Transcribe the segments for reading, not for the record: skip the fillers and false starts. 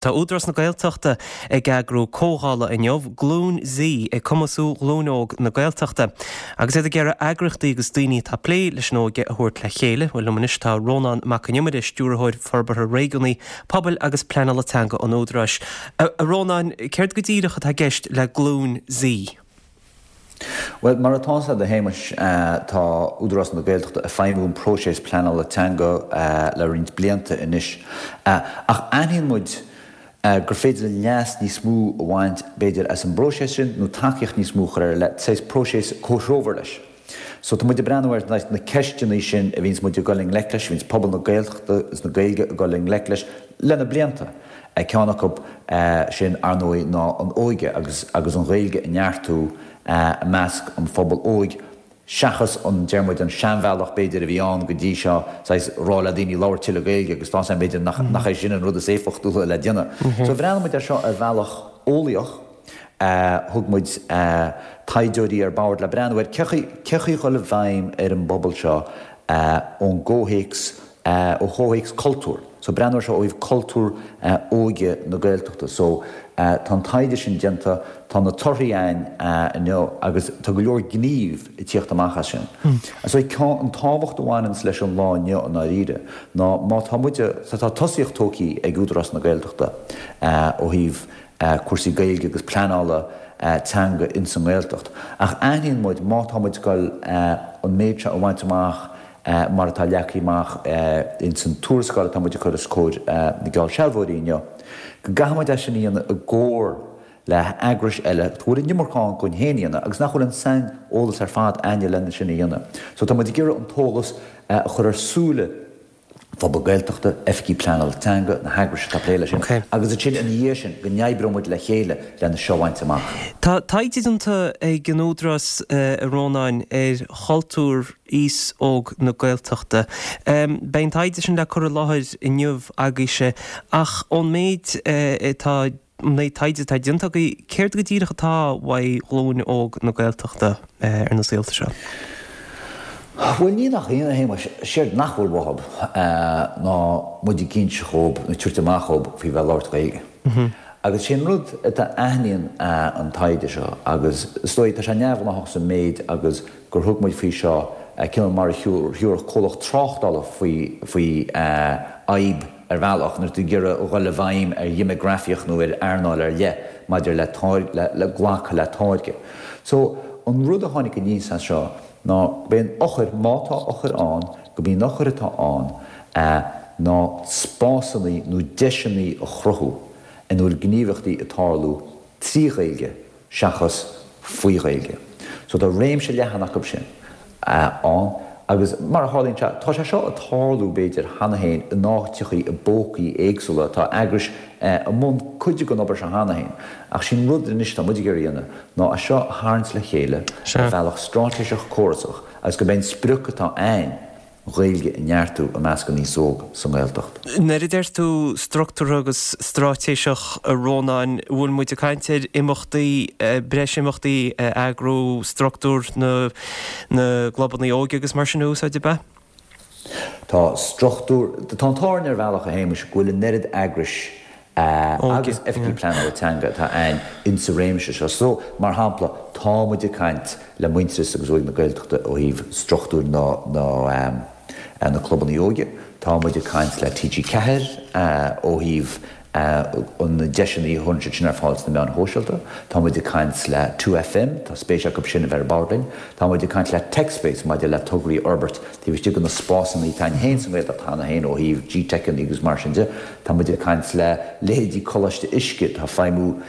Tá Údarás na Gaeltachta ag eagrú comhdhála inniu, Glúin Z, ag cumasú ghlúin óg na Gaeltachta. Agus iad ag iarraidh eagraíochtaí agus daoine atá ag plé leis an óige a thabhairt le chéile. Bhuel, liom anois tá Rónán Mac Con Iomaire, Stiúrthóir Forbartha Réigiúnaí, Pobail agus Pleanála Teanga an Údaráis. A Rónáin, céard go díreach atá i gceist le Glúin Z? Bhuel, mar atá a fhios agat a Shéamais, tá Údarás na Gaeltachta ag feidhmiú an próiseas pleanála teanga le roinnt blianta anois. Ach aithníonn muid gur féidir linn leas níos mó a bhaint, b'fhéidir, as an bpróiseas sin nó tacaíocht níos mó a chur air le saghas próiseas comhthreomhar leis. So tá muid ag breathnú ar na ceisteanna sin a bhíonns muid ag dul i ngleic leis, a bhíonns pobal na Gaeltachta is na Gaeilge ag dul i ngleic leis le na blianta. Ceann acu sin, ar ndóigh, ná an óige agus agus an Ghaeilge a neartú i measc an phobail óig seachas an, deir muid, an seanbhealach b'fhéidir a bhí ann go dtí seo, saghas rá le daoine labhair tuilleadh Gaeilge agus tá a fhios agam b'fhéidir nach é sin an rud is éifeachtúla le déanamh. So bhreathnaigh muid ar seo ar bhealach eolaíoch. Thug muid taighdeoirí ar bord le breathnú ar cé chaoi a dhul i bhfeidhm ar an bpobal seo ón gcomhthéacs, ó chomhthéacs cultúir. So breathnú ar seo ó thaobh cultúr óige na Gaeltachta. So tá an taighde sin déanta, tá na torthaí a'ainn inniu agus tá go leor gníomh ag tíocht amach as sin. So an tábhacht a bhaineanns leis an lá inniu i ndáiríre ná má tá muid, tá tosaíocht tógtha ag Údarás na Gaeltachta ó thaobh cúrsaí Gaeilge agus pleanála teanga ins an nGaeltacht. Ach aithníonn muid má tá muid ag dul an méid seo a bhaint amach mar atá leagtha amach ins an tuarascáil atá muid ag cur os comhair na geallsealbhóirí inniu, go gcaithfidh muid é sin a dhéanamh i gcomhar le heagrais eile go bhfuil an iomarca againn féin a dhéanamh agus nach bhfuil an sain-eolas ar fad a'ainne lena sin a dhéanamh. So tá muid ag iarraidh an t-eolas a chur ar súile phobal Gaeltachta, oifigigh pleanála teanga, na heagrais atá ag plé leis sin, agus ansin ina dhiaidh sin go n-oibreoidh muid le chéile lena seo a bhaint amach. Tá taighde déanta ag an Údarás, a Rónáin, ar chultúr aos óg na Gaeltachta. Beidh an taighde sin le cur i láthair inniu agaibhse, ach ón méid atá An méid taighde atá déanta agaibh, céard go díreach atá uaidh ghlúin óg na Gaeltachta ar na saolta seo? Bhuel, ní nach ionadh, a Shéamais, séard nach bhfuil uathub ná muid ag inse dhób, nó ag tabhairt amach dhób faoi bheith ag labhairt Gaeilge. Agus sé an rud atá aithníonn an taighde seo, agus is dóigh tá sé neamhghnáthach sa méid agus gur thug muid faoi seo cineál mar a thabharfadh comhlacht tráchtála faoi faoi fhadhb, Ar bhealach, nuair atá tú ag iarraidh a dhul i bhfeidhm ar dhéimeagrafaíocht nó ar earnáil ar leith maidir le le le glacadh le táirge. So, an rud a tháinig aníos as seo ná gurb é an eochair, má tá eochair ann, gurb í an eochair atá ann ná spásanna nó deiseanna a chruthú ina bhfuil gníomhaíochtaí ag tarlú trí Ghaeilge seachas faoi Ghaeilge. So tá réimse leathan acu sin ann agus mar a tharlaíonn sé, tá sé seo ag tarlú b'fhéidir cheana féin in áiteachaí i bpócaí éagsúla, tá eagrais i mbun cuid den obair seo cheana féin ach sé'n rud anois atá muid ag iarraidh a dhéanamh ná é seo a tharraingt le chéile ar bhealach straitéiseach córasach agus gurb é an sprioc atá a'ainn Ghaeilge a neartú i measc an aos óg sa nGaeltacht. Nuair a deir tú struchtúrtha agus straitéiseach, a Rónáin, bhfuil muid ag caint ar imeachtaí, breis imeachtaí a eagrú, struchtúr na na gclubanna óige agus mar sin a úsáid, ab ea? Tá struchtúr, tá an t-ádh orainn ar bhealach, a Shéamais, go bhfuil an oiread eagrais agus oifigí pleanála teanga atá a'ainn insa réimse seo. So, mar shampla, tá muid ag caint le Muintearas agus Óige na Gaeltachta ó thaobh struchtúir na na clubanna óige, tá muid ag caint le TG4 ó thaobh na deiseanna a chuireann siad sin ar fáil sna meáin shóisialta, tá muid ag caint le 2FM, tá spéis acu sin a bheith ar bord linn, tá muid ag caint le TechSpace maidir le tograí a fhorbairt taobh istigh de na spásanna atá a'ainn féin sa nGaeltacht cheana féin ó thaobh GTeiceanna agus mar sin de. Tá muid ag caint le leithéidí Coláiste Uisce atá ag feidhmiú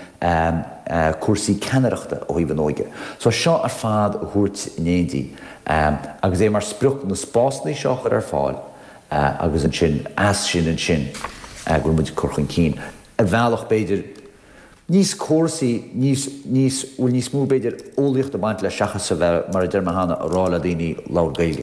cúrsaí ceannaireachta ó thaobh an óige. So seo ar fad a thabhairt in éindí agus é mar sprioc na spásanna seo a chur ar fáil agus ansin as sin ansin go bhfuil muid ag cur chun cinn ar bhealach b'fhéidir níos córasaí, níos, níos, bhfuil níos mó b'fhéidir eolaíocht ag baint leis seachas a bheith mar a deir mé cheana ag rá le daoine labhair Gaeilge.